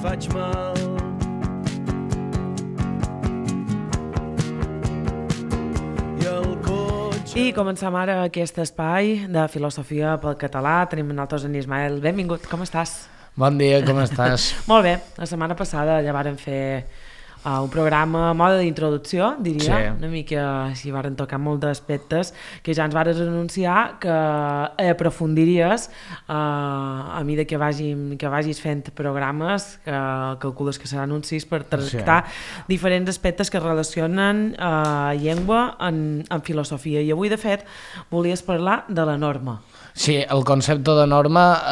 faig mal. I comencem ara aquest espai de filosofia pel català. Tenim nosaltres en Ismael. Benvingut, com estàs? Bon dia, com estàs? Molt bé, la setmana passada ja vàrem fer un programa a mode d'introducció, diria, sí. Una mica així varen tocar molts aspectes que ja ens vares anunciar que aprofundiries a mesura que vagis fent programes, que calcules que seran uns 6 per tractar diferents aspectes que relacionen llengua en filosofia. I avui, de fet, volies parlar de la norma. Sí, el concepte de norma,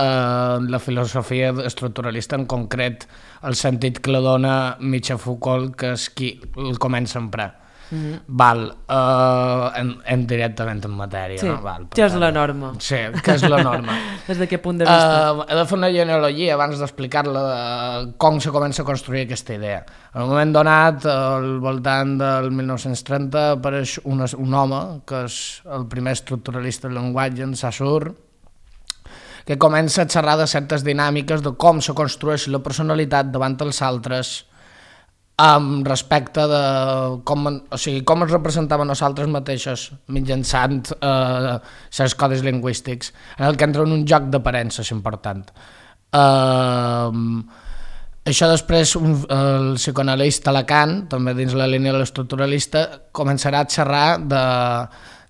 la filosofia estructuralista en concret, el sentit que la dona Michel Foucault, que és qui el comença a emprar. Val, directament en matèria. Sí, no? Val, què és la norma? Sí, què és la norma? Des d'aquest punt de vista? He de fer una genealogia abans d'explicar-la com se comença a construir aquesta idea. En un moment donat, al voltant del 1930, apareix un home, que és el primer estructuralista del llenguatge, en Saussure, que comença a xerrar de certes dinàmiques de com se construeix la personalitat davant els altres amb respecte de com es representaven nosaltres mateixos mitjançant certs codis lingüístics, en el que entra en un joc d'aparences important. Això després el psicoanalista Lacan, també dins la línia de l'estructuralista, començarà a xerrar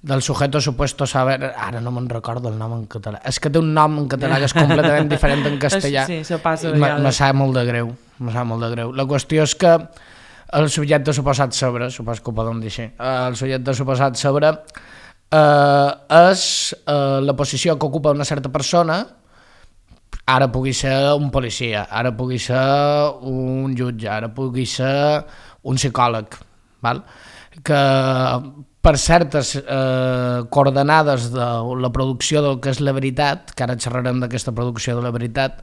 del sujeto supuesto saber, ara no me'n recordo el nom en català, és que té un nom en català que és completament diferent en castellà. Sí, això passa me sap molt de greu, La qüestió és que el subjecte suposat sobre, supos que ho podem dir així, el subjecte suposat sobre és la posició que ocupa una certa persona, ara pugui ser un policia, ara pugui ser un jutge, ara pugui ser un psicòleg, val? Que per certes coordenades de la producció del que és la veritat, que ara xerrarem d'aquesta producció de la veritat,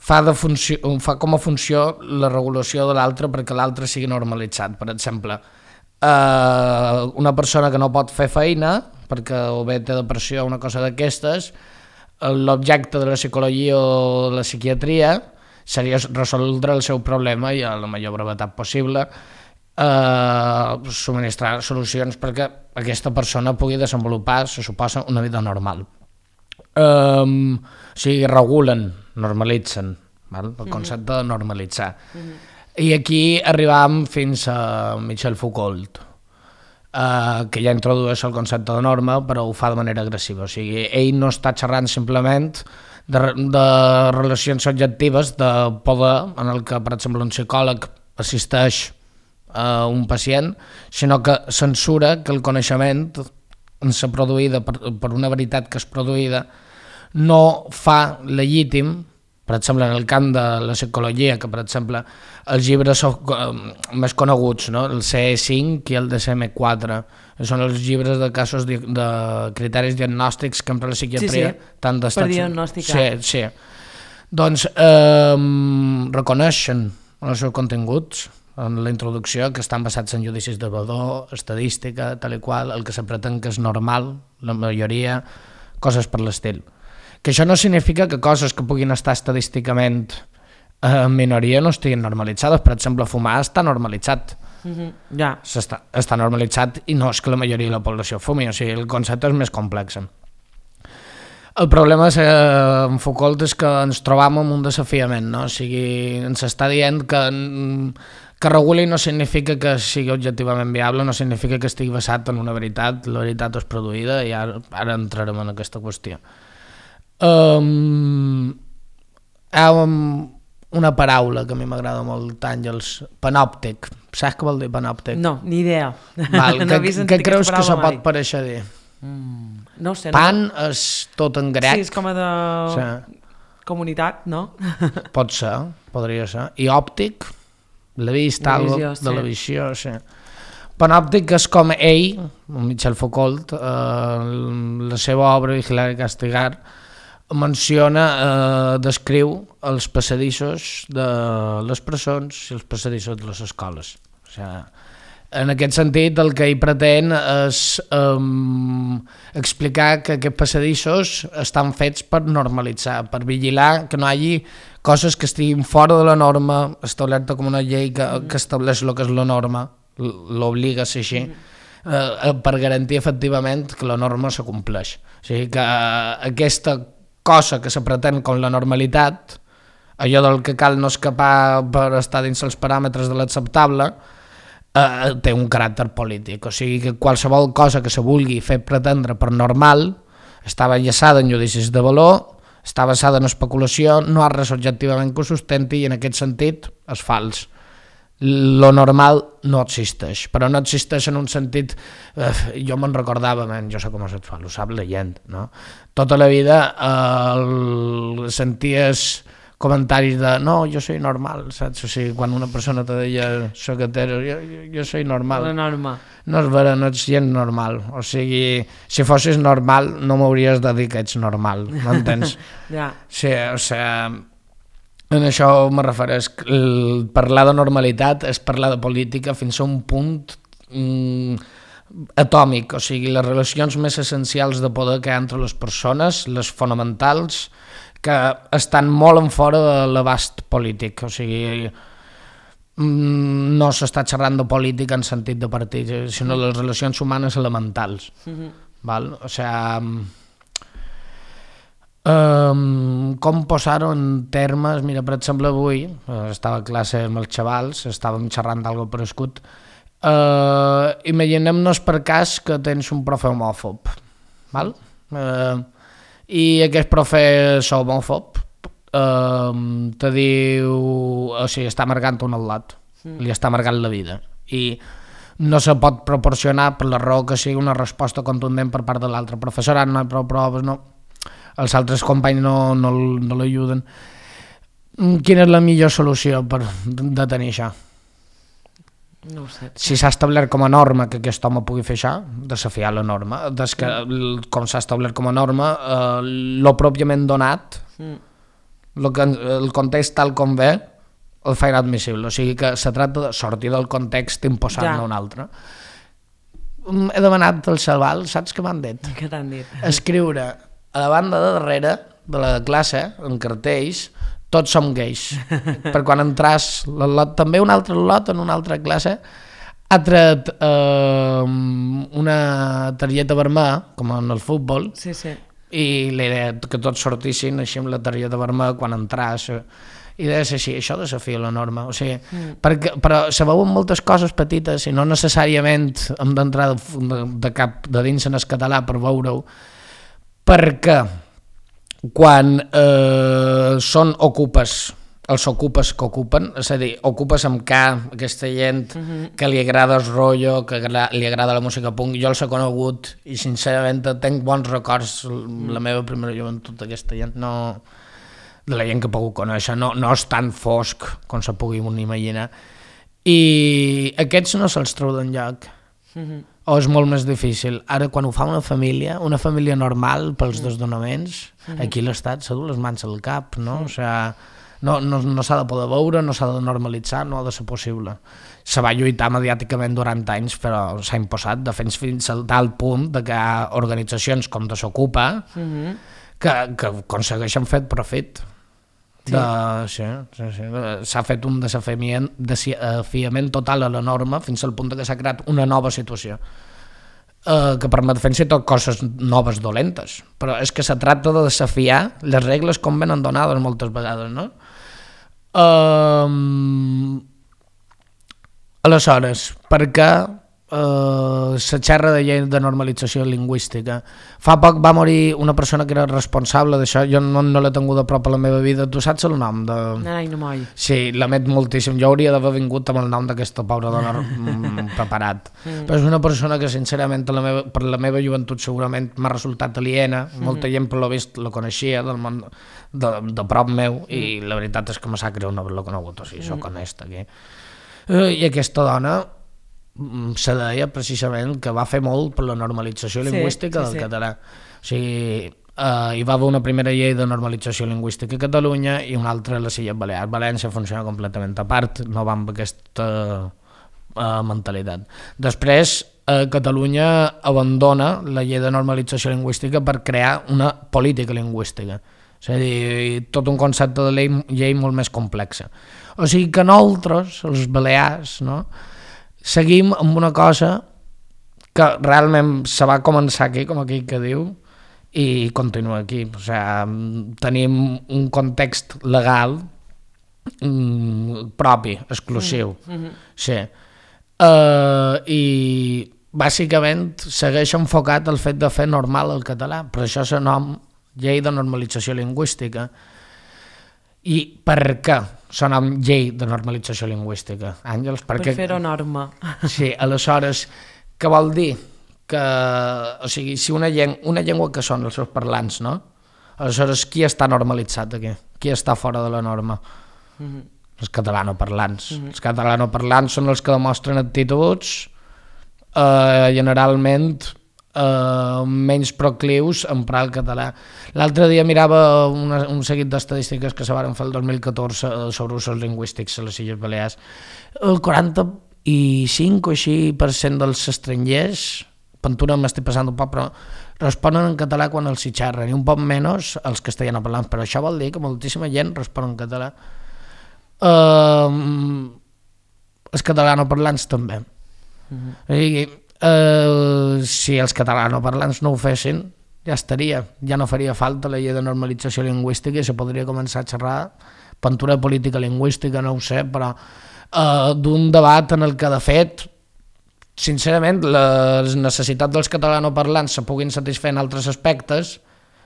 fa com a funció la regulació de l'altre perquè l'altre sigui normalitzat. Per exemple, una persona que no pot fer feina perquè o bé té depressió o una cosa d'aquestes, l'objecte de la psicologia o la psiquiatria seria resoldre el seu problema i a la major brevetat possible subministrar solucions perquè aquesta persona pugui desenvolupar, se suposa, una vida normal. O sigui, regulen, normalitzen, val? El concepte de normalitzar. I aquí arribam fins a Michel Foucault, que ja introdueix el concepte de norma, però ho fa de manera agressiva. O sigui, ell no està xerrant simplement de relacions subjectives de poder, en el que, per exemple, un psicòleg assisteix a un pacient, sinó que censura que el coneixement produïda per una veritat que és produïda no fa legítim, per exemple, en el camp de la psicologia, que per exemple els llibres més coneguts, no? El CE5 i el DSM-4, són els llibres de casos de criteris diagnòstics que empra la psiquiatria. Per diagnosticar. Sí. Doncs reconeixen els seus continguts en la introducció, que estan basats en judicis de valor, estadística, tal i qual, el que se pretén que és normal, la majoria, coses per l'estil. Que això no significa que coses que puguin estar estadísticament en minoria no estiguin normalitzades. Per exemple, fumar està normalitzat. Està normalitzat i no és que la majoria de la població fumi, o sigui, el concepte és més complex. El problema en Foucault és que ens trobam amb un desafiament, no? O sigui, ens està dient que reguli no significa que sigui objectivament viable, no significa que estigui basat en una veritat, la veritat és produïda i ara entrarem en aquesta qüestió. Hi ha una paraula que a mi m'agrada molt, Àngels, panòptic. Saps què vol dir panòptic? No, ni idea. Què creus que se pot pareixer dir? No sé. Pan és tot en grec. Sí, és com a de comunitat, no? Pot ser, podria ser. I òptic, la vista, de la visió, sí. Panòptic és com ell, Michel Foucault, la seva obra Vigilar i castigar, menciona, descriu els passadissos de les presons i els passadissos de les escoles. O sigui, En aquest sentit, el que ell pretén és explicar que aquests passadissos estan fets per normalitzar, per vigilar que no hi hagi coses que estiguin fora de la norma establerta com una llei que estableix el que és la norma, l'obliga a ser així, per garantir efectivament que la norma s'acompleix. O sigui que aquesta cosa que se pretén com la normalitat, allò del que cal no escapar per estar dins els paràmetres de l'acceptable, té un caràcter polític, o sigui que qualsevol cosa que se vulgui fer pretendre per normal està enllaçada en judicis de valor, està basada en especulació, no ha res objectivament que ho sustenti i en aquest sentit és fals. Lo normal no existeix, però no existeix en un sentit, jo me'n recordava, jo soc homosexual, ho sap la gent, no? Tota la vida senties comentaris de no, jo soy normal, saps? O sigui, quan una persona te deia soc hetero, jo soy normal. La norma. No és vera, no ets gent normal. O sigui, si fossis normal no m'hauries de dir que ets normal, m'entens? Ja. Sí, o sigui, en això me refereix. Parlar de normalitat és parlar de política fins a un punt atòmic, o sigui, les relacions més essencials de poder que hi ha entre les persones, les fonamentals, que estan molt en fora de l'abast polític, o sigui, no s'està xerrant de política en sentit de partit, sinó les relacions humanes elementals. Val? O sigui, com posar-ho en termes, mira, per exemple, avui estava a classe amb els xavals, estàvem xerrant d'algo prescut, imaginem-nos per cas que tens un profe homòfob, val? I aquest profe és homòfob, te diu, o sigui, està amargant un al·lot, li està amargant la vida, i no se pot proporcionar per la raó que sigui una resposta contundent per part de l'altre professorat, no hi ha prou proves, no, els altres companys no l'ajuden. Quina és la millor solució per detenir això? No ho sé. Si s'ha establert com a norma que aquest home pugui fer això, desafiar la norma. Com s'ha establert com a norma, lo pròpiament donat, el context tal com ve, el fa inadmissible. O sigui que se tracta de sortir del context i imposar-ne un altre. He demanat al xaval, saps què m'han dit? Què t'han dit? Escriure a la banda de darrere de la classe, en cartells, tots som gais, per quan entras també un altre lot en una altra classe ha tret una targeta vermella com en el futbol i l'idea que tots sortissin així amb la targeta vermella quan entras i deia així, això desafia la norma, o sigui, però se veuen moltes coses petites i no necessàriament hem d'entrar de dins en el català per veure-ho, perquè quan són ocupes, els ocupes que ocupen, és a dir, ocupes amb K, aquesta gent que li agrada el rotllo, que li agrada la música punk, jo els he conegut i sincerament tenc bons records, la meva primera joventut d'aquesta gent, no, de la gent que he pogut conèixer, no és tan fosc com se pugui imaginar, i aquests no se'ls treu d'enlloc. O és molt més difícil. Ara, quan ho fa una família normal pels desdonaments, aquí l'Estat s'ha dut les mans al cap, no? O sigui, no s'ha de poder veure, no s'ha de normalitzar, no ha de ser possible. Se va lluitar mediàticament durant anys, però s'ha imposat de fins al tal punt que hi ha organitzacions com Desocupa que aconsegueixen fer profit. S'ha fet un desafiament total a la norma fins al punt que s'ha creat una nova situació que permet fer tot coses noves dolentes, però és que se tracta de desafiar les regles com venen donades moltes vegades, no? Aleshores, per què se xerra de llei de normalització lingüística? Fa poc va morir una persona que era responsable d'això, jo no l'he tingut a prop a la meva vida. Tu saps el nom? Narai Nomoy. Sí, l'amet moltíssim. Jo hauria d'haver vingut amb el nom d'aquesta pobra dona preparat. Però és una persona que sincerament per la meva joventut segurament m'ha resultat aliena. Molta gent per lo vist la coneixia del món de prop meu i la veritat és que me sap greu no haver-la conegut, o sigui, soc honest aquí. I aquesta dona se deia precisament que va fer molt per la normalització lingüística del català. O sigui, hi va haver una primera llei de normalització lingüística a Catalunya i una altra a les Illes Balears. València funciona completament a part, no va amb aquesta mentalitat. Després, Catalunya abandona la llei de normalització lingüística per crear una política lingüística. És a dir, tot un concepte de llei molt més complex. O sigui que nosaltres, els balears, no, seguim amb una cosa que realment se va començar aquí, com aquell que diu, i continua aquí. O sigui, tenim un context legal propi, exclusiu. Sí. I bàsicament segueix enfocat el fet de fer normal el català, per això se nom llei de normalització lingüística. I per què se nom llei de normalització lingüística, Àngels? Per fer-ho norma. Sí, aleshores, què vol dir? Que, o sigui, si una llengua que són els seus parlants, no? Aleshores, qui està normalitzat aquí? Qui està fora de la norma? Els catalanoparlants. Els catalanoparlants són els que demostren actituds generalment menys proclius a emprar el català. L'altre dia mirava un seguit d'estadístiques que se van fer el 2014 sobre usos lingüístics a les Illes Balears. El 45 o així % dels estrangers, Pantura m'estic passant un poc, però responen en català quan els hi xerren, i un poc menys els castellanoparlants, però això vol dir que moltíssima gent respon en català. Els catalanoparlants també. Si els catalanoparlants no ho fessin, ja estaria, ja no faria falta la llei de normalització lingüística i se podria començar a xerrar pintura política lingüística, no ho sé, però d'un debat en el que, de fet, sincerament, les necessitats dels catalanoparlants se puguin satisfer en altres aspectes,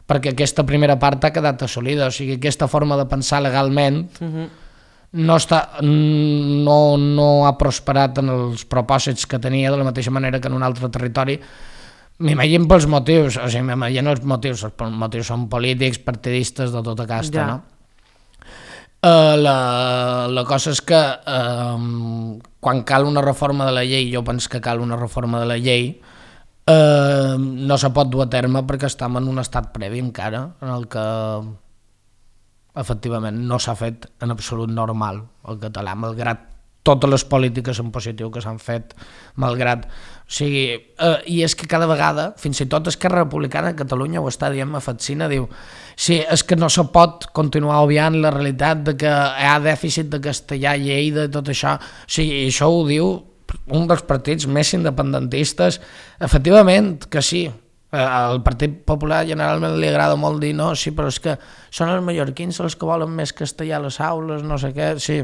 perquè aquesta primera part ha quedat assolida, o sigui, aquesta forma de pensar legalment no ha prosperat en els propòsits que tenia, de la mateixa manera que en un altre territori. M'imagino pels motius, o sigui, m'imagino els motius són polítics, partidistes, de tota casta, no? La cosa és que quan cal una reforma de la llei, jo penso que cal una reforma de la llei, no se pot dur a terme perquè estem en un estat previ encara, en el que efectivament no s'ha fet en absolut normal el català, malgrat totes les polítiques en positiu que s'han fet, malgrat... O sigui, i és que cada vegada, fins i tot Esquerra Republicana de Catalunya ho està dient, m'afascina, diu, sí, és que no se pot continuar obviant la realitat de que hi ha dèficit de castellà, Lleida i tot això. O sigui, això ho diu un dels partits més independentistes, efectivament que sí. Al Partit Popular generalment li agrada molt dir no, sí, però és que són els mallorquins els que volen més castellà a les aules, no sé què, sí.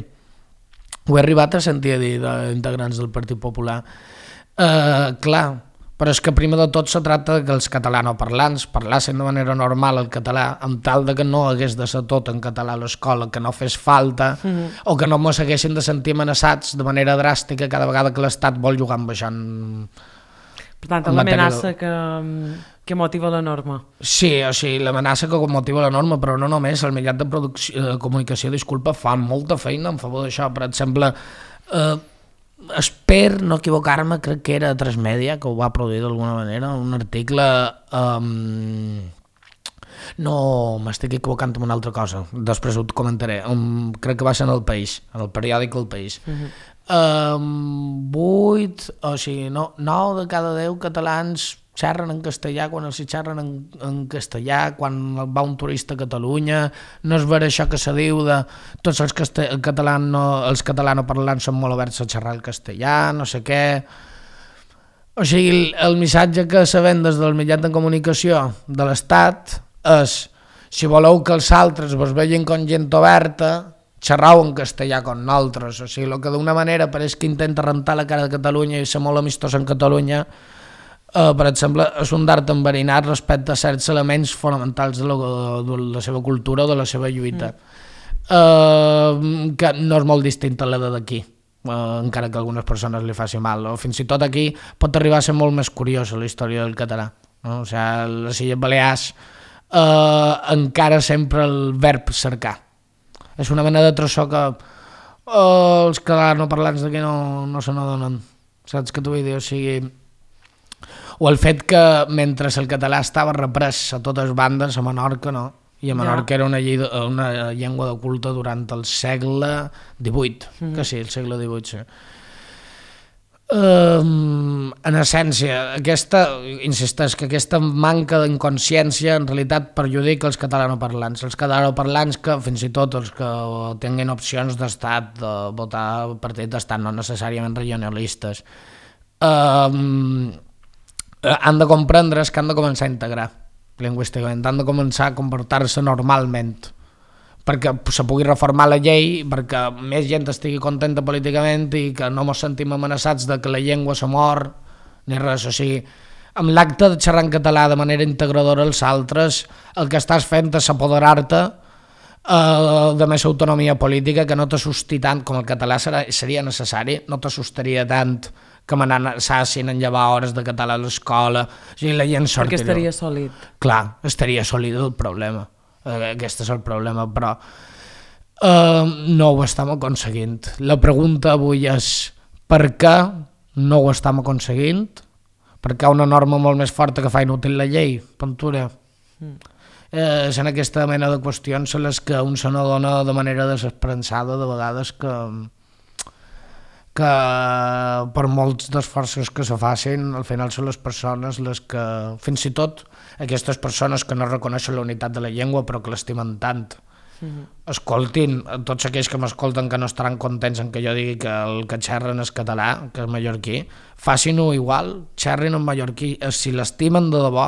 Ho he arribat a sentir a dir d'integrants del Partit Popular. Clar, però és que primer de tot se tracta que els catalanoparlants parlassin de manera normal el català, amb tal de que no hagués de ser tot en català a l'escola, que no fes falta, o que no mos haguessin de sentir amenaçats de manera dràstica cada vegada que l'Estat vol jugar amb això. Per tant, l'amenaça que motiva la norma. Sí, o sigui, l'amenaça que motiva la norma, però no només, el mitjà de comunicació, disculpa, fa molta feina en favor d'això. Per exemple, espero no equivocar-me, crec que era Transmèdia, que ho va produir d'alguna manera, un article... No, m'estic equivocant amb una altra cosa, després ho comentaré. Crec que va ser en El País, en el periòdic El País. 9 de cada 10 catalans xerren en castellà quan els xerren en castellà, quan va un turista a Catalunya, no és vera això que se diu de tots els catalanoparlants són molt oberts a xerrar el castellà, no sé què. O sigui, el missatge que se ven des del mitjà de comunicació de l'Estat és, si voleu que els altres vos vegin com gent oberta, xerrau en castellà com nosaltres. O sigui, el que d'una manera pareix que intenta rentar la cara de Catalunya i ser molt amistós en Catalunya, per exemple, és un dard enverinat respecte a certs elements fonamentals de la seva cultura o de la seva lluita, que no és molt distint a la d'aquí, encara que a algunes persones li faci mal. O fins i tot aquí pot arribar a ser molt més curiosa la història del català. O sigui, les Illes Balears encara sempre el verb cercar. És una mena de trossó que els catalanoparlants d'aquí no se n'adonen. Saps què t'ho vull dir? O sigui, o el fet que mentre el català estava reprès a totes bandes, a Menorca no, i a Menorca era una llengua de culte durant el segle XVIII, que sí, el segle XVIII, sí. En essència, insisteix que aquesta manca d'inconsciència en realitat perjudica els catalanoparlants. Els catalanoparlants que fins i tot els que tinguin opcions d'estat, de votar partit d'estat, no necessàriament regionalistes, han de comprendre que han de començar a integrar lingüísticament, han de començar a comportar-se normalment, perquè se pugui reformar la llei, perquè més gent estigui contenta políticament i que no ens sentim amenaçats de que la llengua se mor, ni res. O sigui, amb l'acte de xerrar en català de manera integradora als altres, el que estàs fent és apoderar-te de més autonomia política, que no t'assusti tant, com el català seria necessari, no t'assustaria tant que me n'assassin en llevar hores de català a l'escola. O sigui, la gent sortiria. Perquè estaria sòlid. Clar, estaria sòlid el problema. Aquest és el problema, però no ho estem aconseguint. La pregunta avui és per què no ho estem aconseguint? Per què una norma molt més forta que fa inútil la llei, Ventura? És en aquesta mena de qüestions en les que un se n'adona de manera desesperançada de vegades que per molts d'esforços que se facin, al final són les persones les que, fins i tot aquestes persones que no reconeixen la unitat de la llengua però que l'estimen tant, escoltin, tots aquells que m'escolten que no estaran contents en que jo digui que el que xerren és català, que és mallorquí, facin-ho igual, xerrin en mallorquí, si l'estimen de debò,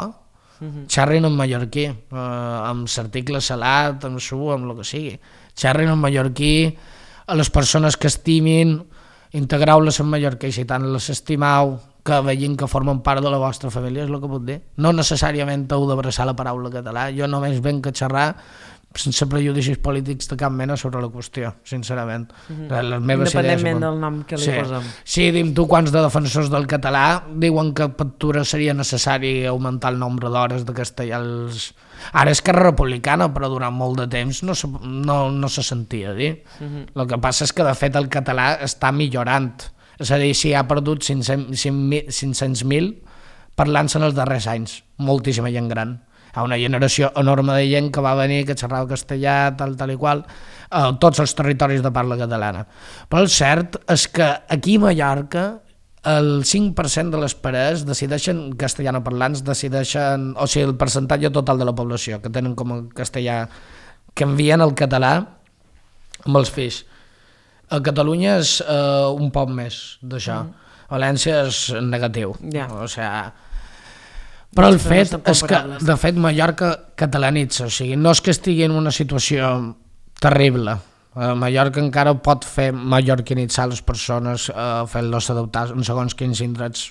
xerrin en mallorquí, amb l'article salat, amb su, amb el que sigui, xerrin en mallorquí a les persones que estimin, integreu-les en mallorquí, si tant les estimeu, que vegin que formen part de la vostra família, és el que puc dir. No necessàriament heu d'abraçar la paraula català, jo només venc a xerrar sense prejudicis polítics de cap mena sobre la qüestió, sincerament. Independentment del nom que li posem. Sí, dim tu quants de defensors del català diuen que a Ventura seria necessari augmentar el nombre d'hores de castellà. Ara és Esquerra Republicana, però durant molt de temps no se sentia dir. El que passa és que de fet el català està millorant. És a dir, si ha perdut 500.000 parlant-se en els darrers anys, moltíssima gent gran. Hi ha una generació enorme de gent que va venir, que xerrava castellà, tal i qual, a tots els territoris de parla catalana. Però el cert és que aquí a Mallorca el 5% de les parelles decideixen castellanoparlants, o sigui, el percentatge total de la població que tenen com a castellà, que envien el català amb els fills. A Catalunya és un poc més d'això. València és negatiu. O sigui, però el fet és que, de fet, Mallorca catalanitza, o sigui, no és que estigui en una situació terrible. Mallorca encara pot fer mallorquinitzar les persones, fent-los adoptar en segons quins indrets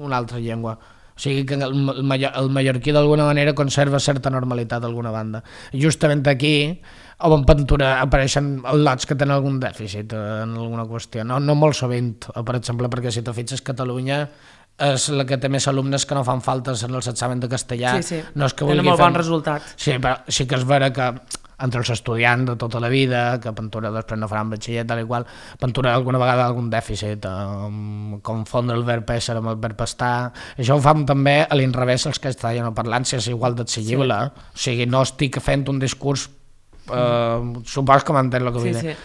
una altra llengua. O sigui que el mallorquí d'alguna manera conserva certa normalitat d'alguna banda. Justament aquí, a Ventura apareixen lots que tenen algun dèficit en alguna qüestió. No molt sovint, per exemple, perquè si te fixes, Catalunya és la que té més alumnes que no fan faltes en els exàmens de castellà. Sí, no és que tenen molt bon resultat. Sí, però sí que és vera que entre els estudiants de tota la vida, que Ventura després no faran batxiller, tal i qual, Ventura alguna vegada algun dèficit, confondre el verb ésser amb el verb estar. Això ho fan també a l'inrevés els castellanoparlants, és igual d'exigible. O sigui, no estic fent un discurs, supos que m'entén el que vull dir.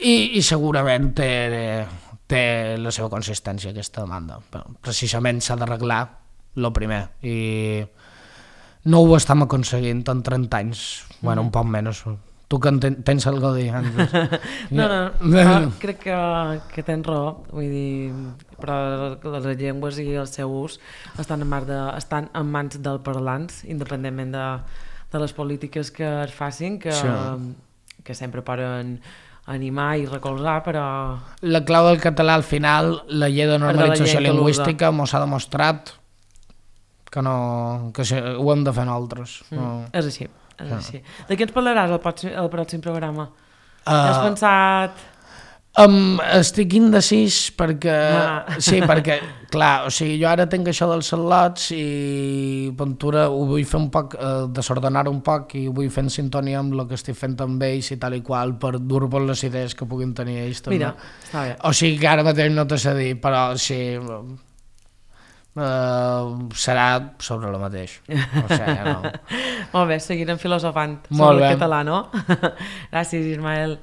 I segurament té la seva consistència aquesta demanda. Però precisament s'ha d'arreglar el primer i no ho estem aconseguint en 30 anys, bueno, un poc menys. Tu que tens alguna cosa a dir? No, crec que tens raó, vull dir, però les llengües i el seu ús estan en mans dels parlants, independentment de les polítiques que es facin, que sempre poden animar i recolzar, però... La clau del català, al final, la llei de normalització lingüística mos ha demostrat que ho hem de fer nosaltres. És així. De què ens parlaràs al pròxim programa? Has pensat... Estic indecis perquè... Sí, perquè, clar, o sigui, jo ara tinc això dels lots i Ventura ho vull fer un poc, desordenar un poc i ho vull fer en sintonia amb el que estic fent amb ells i tal i qual per dur-vos les idees que puguin tenir ells també. Mira, està bé. O sigui que ara mateix no t'ho sé dir, però sí... serà sobre el mateix. O sigui, no. Molt bé, seguirem filosofant sobre el català, no? Gràcies, Ismael.